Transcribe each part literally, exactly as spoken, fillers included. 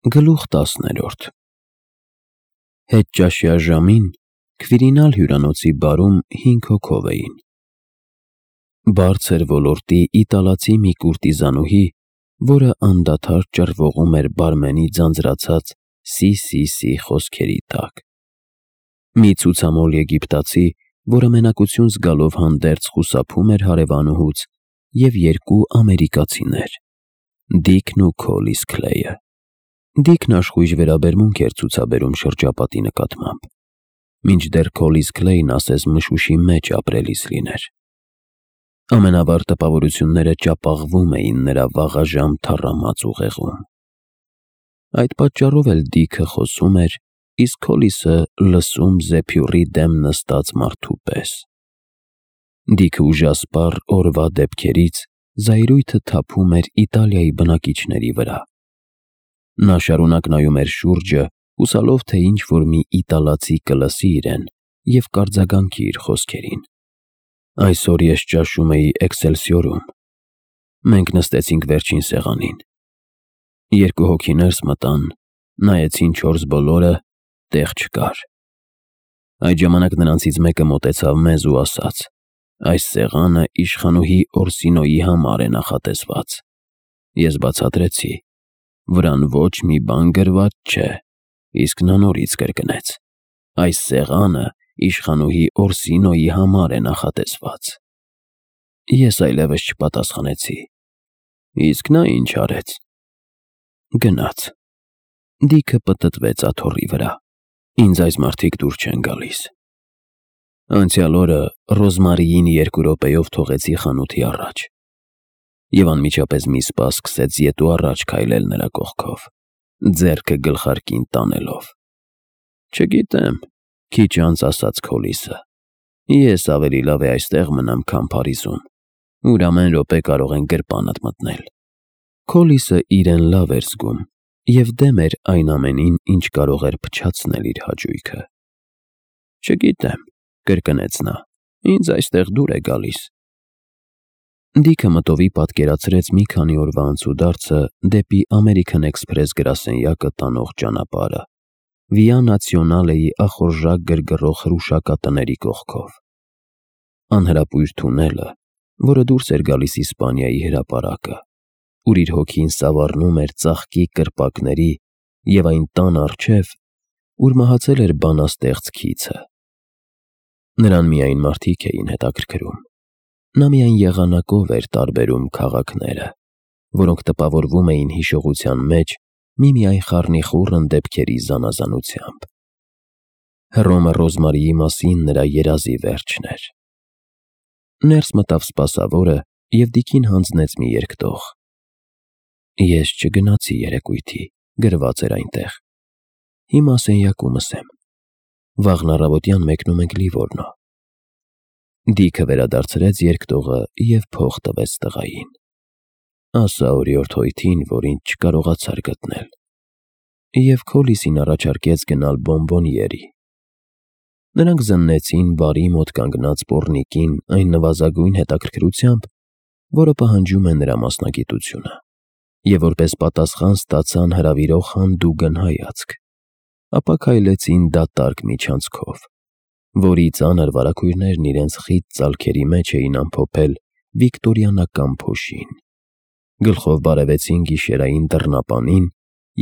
Գլուխ տասներորդ Հետճաշյա ժամին Քվիրինալ հյուրանոցի բարում հինգ հոգով էին. բարձր ոլորտի իտալացի մի կուրտիզանուհի, որը անդադար ճռվողում էր բարմենի ձանձրացած «սի-սի-սի» խոսքերի տակ, մի ցուցամոլ եգիպտացի, որը մենակություն զգալով հանդերձ խուսափում էր հարևանուհուց, և երկու ամերիկացիներ՝ Դիքն ու Քոլիս Քլեյը։ Դիքն աշխույժ վերաբերմունք էր ցուցաբերում շրջապատի նկատմամբ, մինչդեռ Քոլիս Քլեյն ասես մշուշի մեջ ապրելիս լիներ։ Ամենավառ տպավորությունները ճապաղվում էին նրա վաղաժամ թառամած ուղեղում։ Այդ պատճառով էլ Դիքը խոսում էր, իսկ Քոլիսը լսում զեփյուռի դեմ նստած մարդու պես։ Դիքը ուժասպառ օրվա դեպքերից զայրույթը թափում էր Իտալիայի բնակիչների վրա։ Նա շարունակ նայում էր շուրջը, հուսալով, թե ինչ-որ մի իտալացի կլսի իրեն և կարձագանքի իր խոսքերին։ Այսօր ես ճաշում էի Էքսելսիորում։ Մենք նստեցինք վերջին սեղանին։ Երկու հոգի ներս մտան, նայեցին չորս բոլորը, տեղ չկար։ Այդ ժամանակ նրանցից մեկը մոտեցավ մեզ ու ասաց. «Այս սեղանը իշխանուհի Օրսինոյի համար է նախատեսված»։ Ես բացատրեցի. «Վրան ոչ մի բան գրված չէ», իսկ նա նորից կրկնեց. «Այս սեղանը իշխանուհի Օրսինոյի համար է նախատեսված»։ Ես այլևս չպատասխանեցի։ Իսկ նա ինչ արեց։ Գնաց։ Դիքը պտտվեց աթոռի վրա։ Ինձ այս մարդիկ դուր չեն գալիս։ Անցյալ օրը Ռոզմարիին երկու րոպեով թողեցի խանութի առաջ, և անմիջապես մի սպա սկսեց ետ ու առաջ քայլել նրա կողքով, ձեռքը գլխարկին տանելով։ Չգիտեմ, քիչ անց ասաց Քոլիսը, ես ավելի լավ է այստեղ մնամ, քան Փարիզում, ուր ամեն րոպե կարող են գրպանդ մտնել։ Քոլիսը իրեն լավ էր զգում և դեմ էր այն ամենին, ինչ կարող էր փչացնել իր հաճույքը։ Չգիտեմ, կրկնեց նա, ինձ այստեղ դուր է գալիս։ Դիքը մտովի պատկերացրեց մի քանի օրվա անցուդարձը դեպի Ամերիկան Էքսփրես գրասենյակը տանող ճանապարհը, Վիա Նացիոնալեի ախորժակ գրգռող հրուշակատների կողքով։ Անհրապույր թունելը, որը դուրս էր գալիս Իսպանիայի հրապարակը, ուր իր հոգին սավառնում էր ծաղկի կրպակների, և այն տան առջև, ուր մահացել էր բանաստեղծ Քիցը։ Նրան միայն մարդիկ էին հետաքրքրում։ Նա միայն եղանակով էր տարբերում քաղաքները, որոնք տպավորվում էին հիշողության մեջ միմիայն խառնիխուռն դեպքերի զանազանությամբ։ Հռոմը Ռոզմարիի մասին նրա երազի վերջն էր։ Ներս մտավ սպասավորը և Դիքին հանձնեց մի երկտող։ Ես չգնացի երեկույթի, գրված էր այնտեղ. Հիմա սենյակումս եմ։ Վաղն առավոտյան մեկնում ենք Լիվորնո։ Դիքը վերադարձրեց երկտողը և փող տվեց տղային։ Ասա օրիորդ հոյթին, որ ինձ չկարողացար գտնել։ Եվ Քոլիսին առաջարկեց գնալ Բոնբոնիերի։ Նրանք զննեցին բարի մոտ կանգնած պոռնիկին այն նվազագույն հետաքրքրությամբ, որը պահանջում է նրա մասնագիտությունը, և որպես պատասխան ստացան հրավիրող հանդուգն հայացք, ապա քայլեցին դատարկ միջանցքով, որի ծանր վարագույրներն իրենց խիտ ծալքերի մեջ էին ամփոփել վիկտորիանական փոշին։ Գլխով բարևեցին գիշերային դռնապանին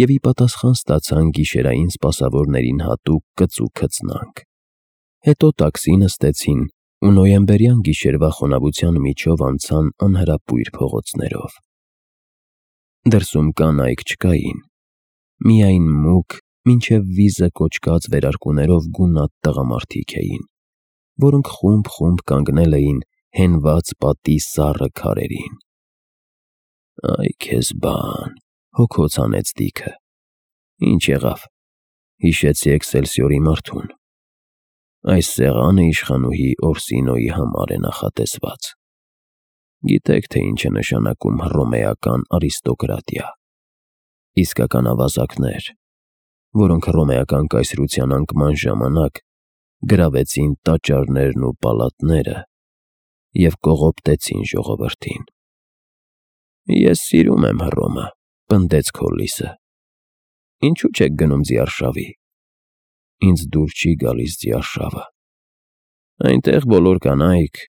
և ի պատասխան ստացան գիշերային սպասավորներին հատուկ կծու քծնանք։ Հետո տաքսի նստեցին ու նոյեմբերյան գիշերվա խոնավության միջով անցան անհրապույր փողոցներով։ Դրսում կանայք չկային, միայն մուգ, մինչև վիզը կոչկած վերարկուներով գունատ տղամարդիկ էին, որոնք խումբ-խումբ կանգնել էին հենված պատի սառը քարերին։ Այ քեզ բան, հոգոց հանեց Դիքը։ Ինչ եղավ։ Հիշեցի Էքսելսիորի մարդուն։ Այս սեղանը իշխանուհի Օրսինոյի համար է նախատեսված։ Գիտեք, թե ինչ է նշանակում հռոմեական արիստոկրատիա։ Իսկական ավազակներ, որոնք հռոմեական կայսրության անկման ժամանակ գրավեցին տաճարներն ու պալատները և կողոպտեցին ժողովրդին։ Ես սիրում եմ Հռոմը, պնդեց Քոլիսը։ Ինչու չեք գնում Ձիարշավի։ Ինձ դուր չի գալիս Ձիարշավը։ Այնտեղ բոլոր կանայք,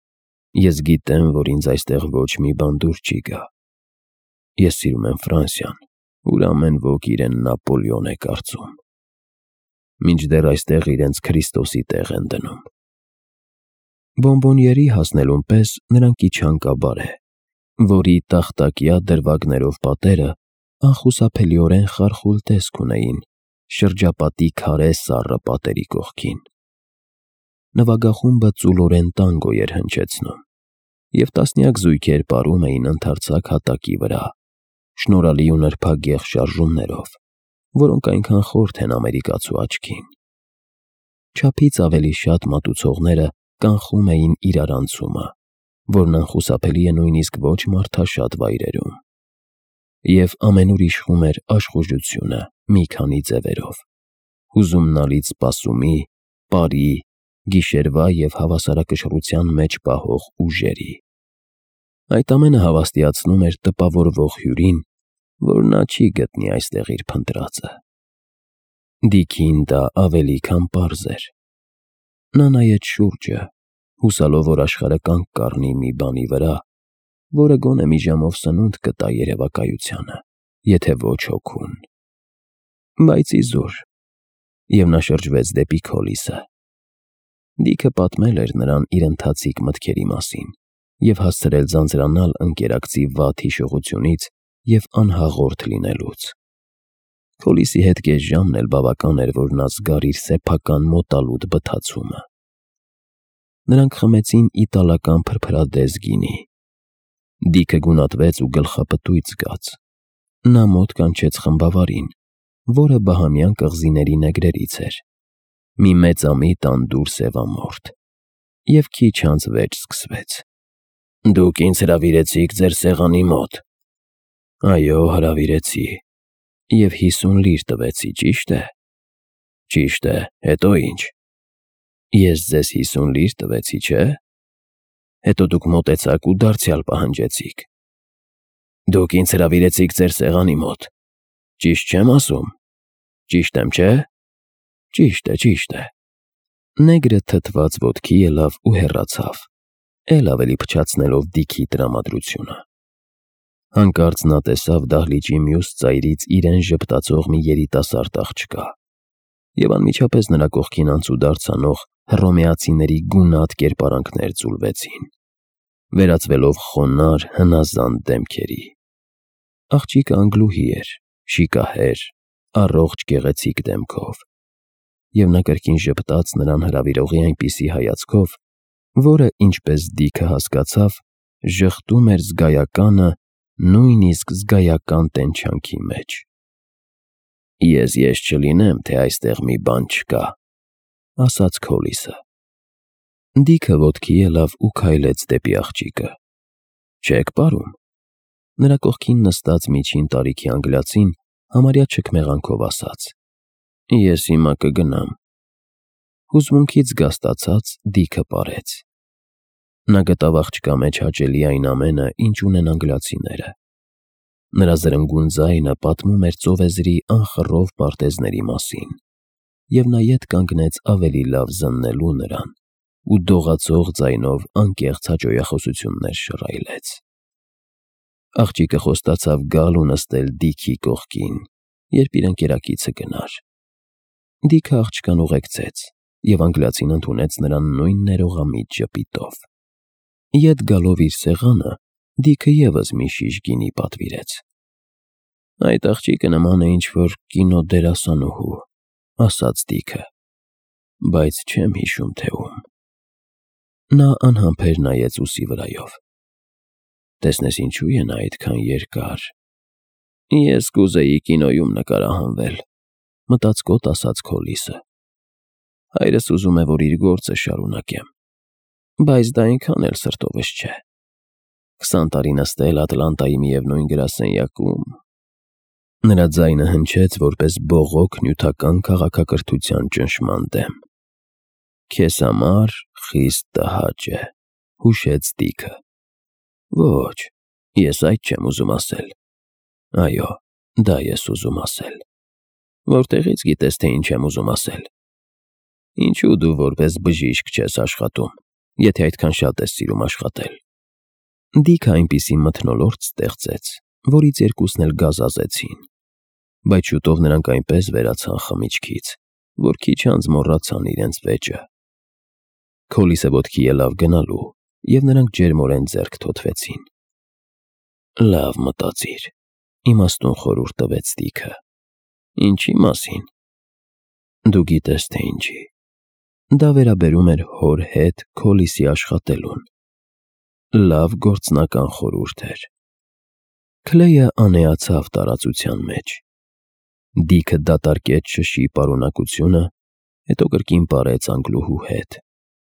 ես գիտեմ, որ ինձ այստեղ ոչ մի բան դուր չի գա։ Ես սիրում եմ Ֆրանսիան, ուր ամեն ոք իրեն Նապոլեոն է կարծում։ Մինչդեռ այստեղ իրենց Քրիստոսի տեղ են դնում։ Բոմբոնիերի հասնելուն պես նրանք իջան կաբարե, որի տախտակյա դրվագներով պատերը անխուսափելիորեն խարխուլ տեսք ունեին շրջապատի քարե սառը պատերի կողքին։ Նվագախումբը ծուլորեն տանգո էր հնչեցնում, և տասնյակ զույգեր պարում էին ընդարձակ հատակի վրա, շնորհալի ու նրբագեղ շարժումներով, որոնք այնքան խորթ են ամերիկացու աչքին։ Չափից ավելի շատ մատուցողները կանխում էին իրարանցումը, որն անխուսափելի է նույնիսկ ոչ մարդաշատ վայրերում։ Եվ ամենուր իշխում էր աշխուժությունը մի քանի ձևերով՝ հուզումնալից սպասումի, պարի, գիշերվա և հավասարակշռության մեջ պահող ուժերի։ Այդ ամենը հավաստիացնում էր տպավորվող հյուրին, որ նա չի գտնի այստեղ իր փնտրածը։ Դիքին դա ավելի քան պարզ էր։ Նա նայեց շուրջը, հուսալով, որ աշխարհը կանգ կառնի մի բանի վրա, որը գոնե մի ժամով սնունդ կտա երևակայությանը, եթե ոչ հոգուն։ Բայց իզուր։ Եվ նա շրջվեց դեպի Քոլիսը։ Դիքը պատմել էր նրան իր ընթացիկ մտքերի մասին և հասցրել ձանձրանալ ընկերակցի վատ հիշողությունից և անհաղորդ լինելուց։ Քոլիսի հետ կես ժամն էլ բավական էր, որ նա զգար իր սեփական մոտալուտ բթացումը։ Նրանք խմեցին իտալական փրփրադես գինի։ Դիքը գունատվեց ու գլխապտույտ զգաց։ Նա մոտ կանչեց խմբավարին, որը բահամյան կղզիների նեգրերից էր, մի մեծամիտ անդուր սևամորթ, և քիչ անց վեճ սկսվեց։ Դուք ինձ հրավիրեցիք ձեր սեղանի մոտ։ Այո, հրավիրեցի, և հիսուն լիր տվեցի, ճի՞շտ է։ Ճիշտ է, հետո ի՞նչ։ Ես ձեզ հիսուն լիր տվեցի, չէ՞։ Հետո դուք մոտեցաք ու դարձյալ պահանջեցիք։ Դուք ինձ հրավիրեցիք ձեր սեղանի մոտ, ճիշտ չեմ ասում։ Ճիշտ եմ, չէ՞։ Ճիշտ է, ճիշտ է։ Նեգրը թթված ոտքի ելավ ու հեռացավ, էլ ավելի փչացնելով Դիքի տրամադրությունը։ Հանկարծ նա տեսավ դահլիճի մյուս ծայրից իրեն ժպտացող մի երիտասարդ աղջկա, և անմիջապես նրա կողքին անցուդարձ անող հռոմեացիների գունատ կերպարանքներ ձուլվեցին, վերածվելով խոնարհ, հնազանդ դեմքերի։ Աղջիկը անգլուհի էր, շիկահեր, առողջ գեղեցիկ դեմքով, և նա կրկին ժպտաց նրան հրավիրողի այնպիսի հայացքով, որը, ինչպես Դիքը հասկացավ, ժխտում էր զգայականը նույնիսկ զգայական տենչյանքի մեջ։ Ես ես չլինեմ, թե այստեղ մի բան չկա, ասաց Քոլիսը։ Դիքը ոտքի ելավ ու քայլեց դեպի աղջիկը։ Չե՞ք պարում։ Նրա կողքին նստած միջին տարիքի անգլիացին համարյա չքմեղանքով ասաց. Ես հիմա կգնամ։ Հուզմունքից զգաստացած Դիքը պարեց։ Նա գտավ աղջկա մեջ հաճելի այն ամենը, ինչ ունեն անգլիացիները։ Նրա զրնգուն ձայնը պատմում էր ծովեզրի անխռով պարտեզների մասին, և նա ետ կանգնեց ավելի լավ զննելու նրան ու դողացող ձայնով անկեղծ հաճոյախոսություններ շռայլեց։ Աղջիկը խոստացավ գալ ու նստել Դիքի կողքին, երբ իր ընկերակիցը գնար։ Դիքը աղջկան ուղեկցեց, և անգլիացին ընդունեց նրան նույն ներողամիտ ժպիտով։ Ետ գալով իր սեղանը, Դիքը ևս մի շիշ գինի պատվիրեց։ Այդ աղջիկը նման է ինչ-որ կինոդերասանուհու, ասաց Դիքը, բայց չեմ հիշում, թե ում։ Նա անհամբեր նայեց ուսի վրայով։ Տեսնես ինչու է նա այդքան երկար։ Ես կուզեի կինոյում նկարահանվել, մտածկոտ ասաց Քոլիսը։ Հայրս ուզում է, որ իր գործը շարունակեմ, բայց դա այնքան էլ սրտովս չէ։ Քսան տարի նստել Ատլանտայի միևնույն գրասենյակում։ Նրա ձայնը հնչեց որպես բողոք նյութական քաղաքակրթության ճնշման դեմ։ Քեզ համար խիստ տհաճ է, հուշեց Դիքը։ Ոչ, ես այդ չեմ ուզում ասել։ Այո, դա ես ուզում ասել։ Որտեղից գիտես, թե ինչ եմ ուզում ասել։ Ինչու դու որպես բժիշկ չես աշխատում, եթե այդքան շատ ես սիրում աշխատել։ Դիքը այնպիսի մթնոլորտ ստեղծեց, որից երկուսն էլ գազազեցին, բայց շուտով նրանք այնպես վերացան խմիչքից, որ քիչ անց մոռացան իրենց վեճը։ Քոլիսը ոտքի ելավ գնալու, և նրանք ջերմորեն ձեռք թոթվեցին։ Լավ մտածիր, իմաստուն խորհուրդ տվեց Դիքը։ Ինչի մասին։ Դու գիտես, թե ինչի։ Դա վերաբերում էր հոր հետ Քոլիսի աշխատելուն։ Լավ գործնական խորհուրդ էր։ Քլեյը անեացավ տարածության մեջ։ Դիքը դատարկեց շշի պարունակությունը, հետո կրկին պարեց անգլուհու հետ,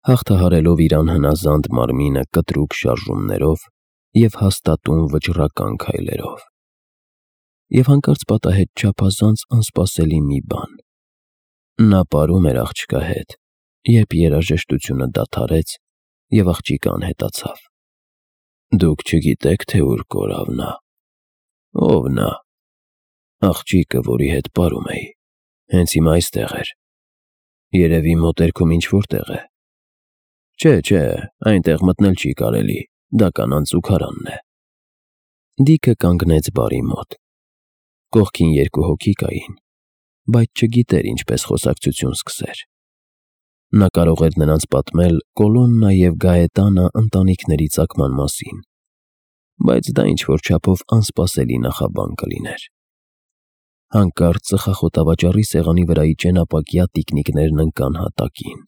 հաղթահարելով իր անհնազանդ մարմինը կտրուկ շարժումներով և հաստատուն վճռական քայլերով։ Եվ հանկարծ պատահեց չափազանց անսպասելի մի բան։ Նա պարում էր աղջկա հետ, երբ երաժշտությունը դադարեց և աղջիկը անհետացավ։ Դուք չգիտեք, թե ուր կորավ նա։ Ո՞վ նա։ Աղջիկը, որի հետ պարում էի, հենց հիմա այստեղ էր։ Երևի մոտերքում ինչ-որ տեղ է։ Չէ, չէ, այնտեղ մտնել չի կարելի, դա կանանց զուգարանն է։ Դիքը կանգնեց բարի մոտ։ Կողքին երկու հոգի կային, բայց չգիտեր ինչպես խոսակցություն սկսեր։ Նա կարող էր նրանց պատմել Կոլոննա և Գաետանա ընտանիքների ծագման մասին, բայց դա ինչ-որ չափով անսպասելի նախաբան կլիներ։ Հանկարծ ծխախոտավաճառի սեղանի վրայի ճենապակյա տիկնիկներն ընկան հատակին։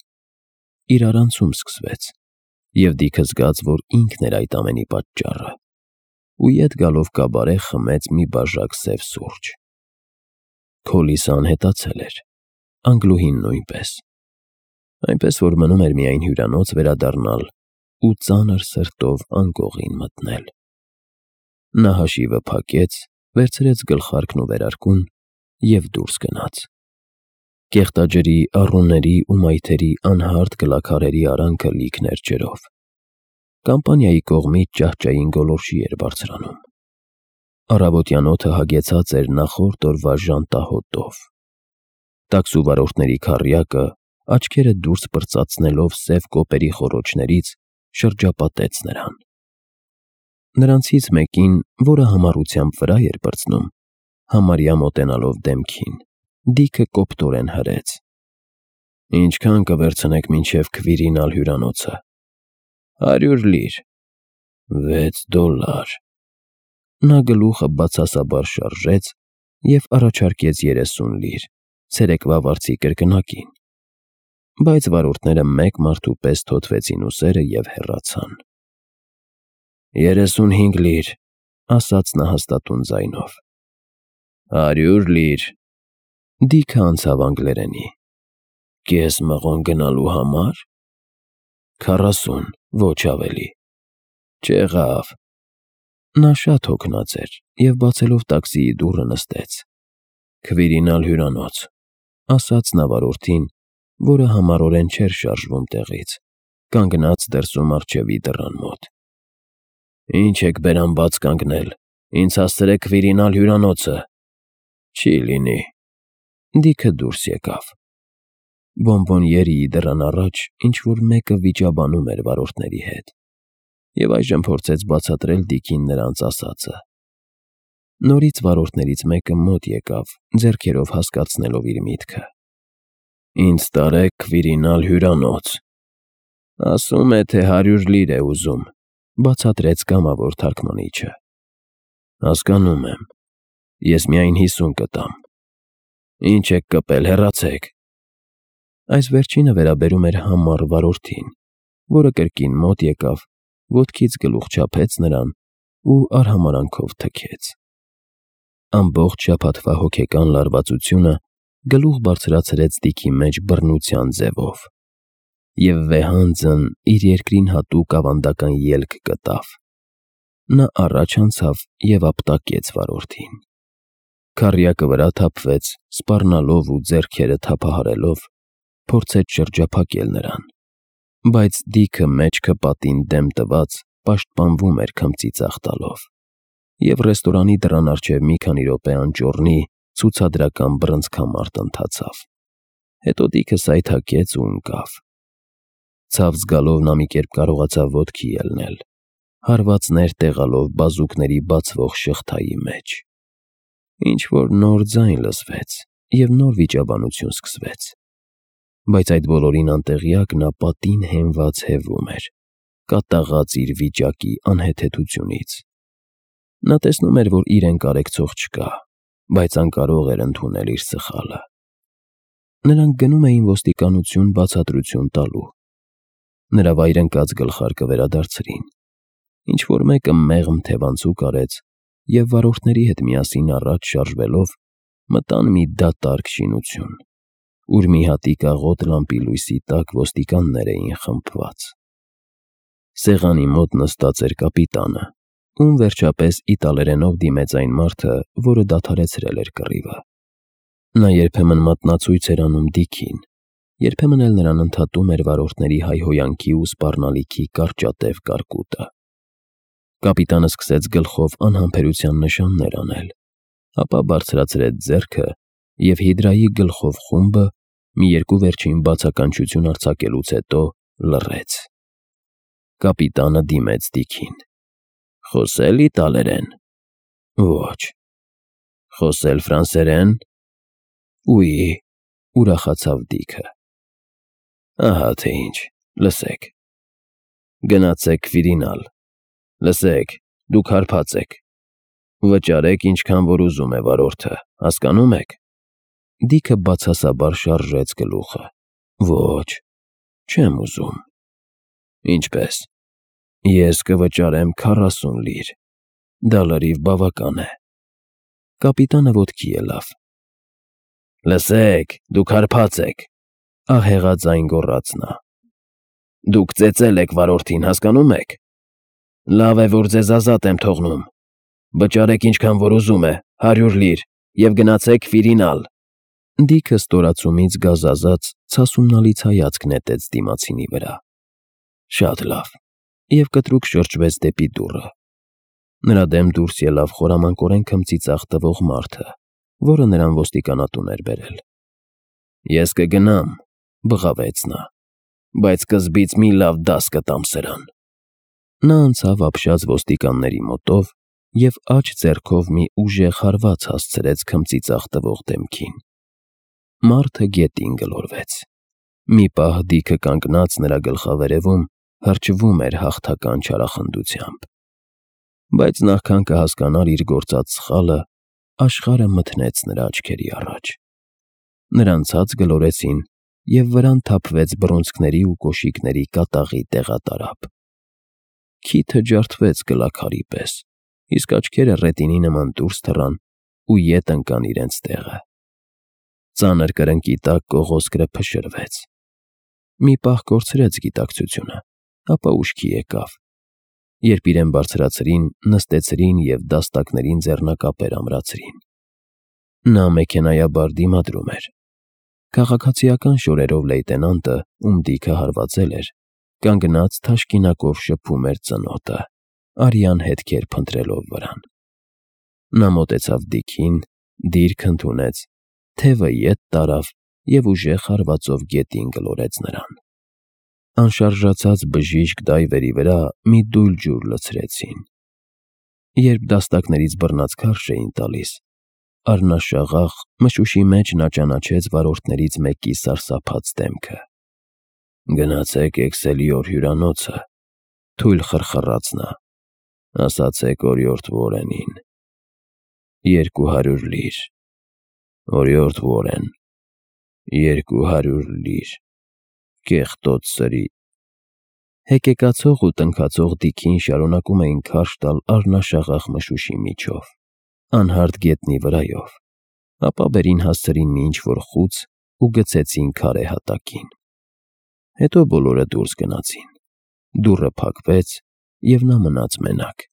Իրարանցում սկսվեց, և Դիքը զգաց, որ ինքն էր այդ ամենի պատճառը, ու ետ գալով կաբարե խմեց մի բաժակ սև սուրճ։ Քոլիսը անհետացել էր, անգլուհին նույնպես, այնպես որ մնում էր միայն հյուրանոց վերադառնալ ու ծանր սրտով անկողին մտնել։ Նա հաշիվը փակեց, վերցրեց գլխարկն ու վերարկուն և դուրս գնաց։ Կեղտաջրի, առուների ու մայթերի անհարթ գլաքարերի արանքը լիքն էր ջրով։ Կամպանիայի կողմից ճահճային գոլորշի էր բարձրանում։ Առավոտյան օդը հագեցած էր նախորդ օրվա ժանտահոտով։ Տաքսու վարորդների քառյակը, աչքերը դուրս պրծացնելով սև կոպերի խոռոչներից, շրջապատեց նրան։ Նրանցից մեկին, որը համառությամբ վրա էր պրծնում, համարյա մոտենալով դեմքին, Դիքը կոպտորեն հրեց. Ինչքան կվերցնեք մինչև Քվիրինալ հյուրանոցը։ Հարյուր լիր։ Վեց դոլար։ Նա գլուխը բացասաբար շարժեց և առաջարկեց երեսուն լիր, ցերեկվա վարձի կրկնակին, բայց վարորդները մեկ մարդու պես թոթվեցին ուսերը և հեռացան։ Երեսունհինգ լիր, ասաց նա հաստատուն ձայնով։ Հարյուր լիր։ Դիքը անցավ անգլերենի։ Կես մղոն գնալու համար։ Քառասուն, ոչ ավելի։ Չեղավ։ Նա շատ հոգնած էր և բացելով տաքսիի դուռը նստեց։ Քվիրինալ հյուրանոց, ասաց նա վարորդին, որը համառորեն չէր շարժվում տեղից, կանգնած դրսում առջևի դռան մոտ։ Ինչ եք բերան բաց կանգնել, ինձ հասցրեք Քվիրինալ հյուրանոցը։ Չի լինի։ Դիքը դուրս եկավ։ Բոնբոնիերիի դռան առաջ ինչ-որ մեկը վիճաբանում էր վարորդների հետ, և այժմ փորձեց բացատրել Դիքին նրանց ասածը։ Նորից վարորդներից մեկը մոտ եկավ, ձեռքերով հասկացնելով իր միտքը։ Ինձ տարեք Քվիրինալ հյուրանոց։ Ասում է, թե հարյուր լիր է ուզում, բացատրեց կամավոր թարգմանիչը։ Հասկանում եմ, ես միայն հիսուն կտամ։ Ինչ եք կպել, հեռացեք։ Այս վերջինը վերաբերում էր համառ վարորդին, որը կրկին մոտ եկավ, ոտքից գլուխ չափեց նրան ու արհամարհանքով թքեց։ Ամբողջ շաբաթվա հոգեկան լարվածությունը գլուխ բարձրացրեց Դիքի մեջ բռնության ձևով, և վեհանձն իր երկրին հատուկ ավանդական ելք գտավ։ Նա առաջ անցավ և ապտակեց վարորդին։ Քառյակը վրա թափվեց, սպառնալով ու ձեռքերը թափահարելով, փորձեց շրջափակել նրան, բայց Դիքը մեջքը պատին դեմ տված պաշտպանվում էր քմծի ծաղ տալով, և ռեստորանի դռան առջև մի քանի րոպե անճոռնի ցուցադրական բռնցքամարտ ընթացավ։ Հետո Դիքը սայթաքեց ու ընկավ։ Ցավ զգալով նա մի կերպ կարողացավ ոտքի ելնել, հարվածներ տեղալով բազուկների բացվող շղթայի մեջ։ Ինչ-որ նոր ձայն լսվեց, և նոր վիճաբանություն սկսվեց։ Բայց այդ բոլորին անտեղյակ նա պատին հենված հևում էր, կատաղած իր վիճակի անհեթեթությունից։ Նա տեսնում էր, որ իրեն կարեկցող չկա, բայց անկարող էր ընդունել իր սխալը։ Նրանք գնում էին ոստիկանություն բացատրություն տալու։ Նրա վայրընկած գլխարկը վերադարձրին։ Ինչ-որ մեկը մեղմ թևանցուկ արեց և վարորդների հետ միասին առաջ շարժվելով մտան մի դատարկ շինություն, ուր մի հատիկ աղոտ լամպի լույսի տակ ոստիկաններ էին խմբված։ Սեղանի մոտ նստած էր կապիտանը, ում վերջապես իտալերենով դիմեց այն մարդը, որը դադարեցրել էր կռիվը։ Նա երբեմն մատնացույց էր անում Դիքին, երբեմն էլ նրան ընդհատում էր վարորդների հայհոյանքի ու սպառնալիքի կարճատև կարկուտը։ Կապիտանը սկսեց գլխով անհամբերության նշաններ անել, ապա բարձրացրեց ձեռքը և հիդրայի գլխով խումբը մի երկու վերջին բացականչություն արձակելուց հետո լռեց։ Կապիտանը դիմեց Դիքին. «Խոսե՞լ իտալերեն»։ «Ոչ»։ «Խոսե՞լ ֆրանսերեն»։ «Ուի», ուրախացավ Դիքը։ «Ահա թե ինչ, լսեք։ Գնացեք Քվիրինալ։ Լսեք, դուք հարբած եք։ Վճարեք ինչքան որ ուզում է վարորդը, հասկանո՞ւմ եք»։ Դիքը բացասաբար շարժեց գլուխը։ «Ոչ, չեմ ուզում»։ «Ինչպե՞ս»։ «Ես կվճարեմ քառասուն լիր, դա լրիվ բավական է»։ Կապիտանը ոտքի ելավ։ «Լսեք, դուք հարբած եք», ահեղաձայն գոռաց նա։ «Դուք ծեծել եք վարորդին, հասկանո՞ւմ եք։ Լավ է, որ ձեզ ազատ եմ թողնում։ Վճարեք ինչքան որ ուզում է, հարյուր լիր, և գնացեք Քվիրինալ»։ Դիքը ստորացումից գազազած ցասումնալից հայացք նետեց դիմացինի վրա։ «Շատ լավ», և կտրուկ շրջվեց դեպի դուռը։ Նրա դեմ դուրս ելավ խորամանկորեն քմծիծաղ տվող մարդը, որը նրան ոստիկանատուն էր բերել։ «Ես կգնամ», բղավեց նա, «բայց սկզբից մի լավ դաս կտամ սրան»։ Նա անցավ ապշած ոստիկանների մոտով և աջ ձեռքով մի ուժեղ հարված հասցրեց քմծիծաղ տվող դեմքին։ Մարդը գետին գլորվեց։ Մի պահ Դիքը կանգնած նրա գլխավերևում հրճվում էր հաղթական չարախնդությամբ։ Բայց նախքան կհասկանար իր գործած սխալը, աշխարհը մթնեց նրա աչքերի առաջ։ Նրան ցած գլորեցին, և վրան թափվեց բռունցքների ու կոշիկների կատաղի տեղատարափ։ Քիթը ջարդվեց գլաքարի պես, իսկ աչքերը ռետինի նման դուրս թռան ու ետ ընկան իրենց տեղը։ Ծանր կրնկի տակ կողոսկրը փշրվեց։ Մի պահ կորցրեց գիտակցությունը, ապա ուշքի եկավ։ Երբ իրեն բարձրացրին, նստեցրին և դաստակներին ձեռնակապեր ամրացրին։ Նա մեքենայաբար դիմադրում էր։ Քաղաքացիական շորերով լեյտենանտը, ում Դիքը հարվածել էր, կանգնած թաշկինակով շփում էր ծնոտը, արյան հետքեր փնտրելով վրան։ Նա մոտեցավ Դիքին, դիրք ընդունեց, թևը ետ տարավ և ուժեղ հարվածով գետին գլորեց նրան։ Անշարժացած բժիշկ դայվերի վրա մի դույլ ջուր լցրեցին։ Երբ դաստակներից բռնած քարշ էին տալիս, առնաշաղախ մշուշի մեջ նա ճանաչեց վարորդներից մեկի սարսափած դեմքը։ «Գնացեք Էքսելիոր հյուրանոցը», թույլ խրխռաց նա, «ասացեք օրիորդ Վորենին։ Երկու հարյուր լիր, օրիորդ Վորեն, երկու հարյուր լիր, կեղտոտ սրի»։ Հեկեկացող ու տնքացող Դիքին շարունակում էին քարշ տալ առնաշաղախ մշուշի միջով, անհարթ գետնի վրայով, ապա վերին հասցրին մի ինչ-որ խուց ու գցեցին քարե հատակին։ Հետո բոլորը դուրս գնացին։ Դուռը փակվեց, և նա մնաց մենակ։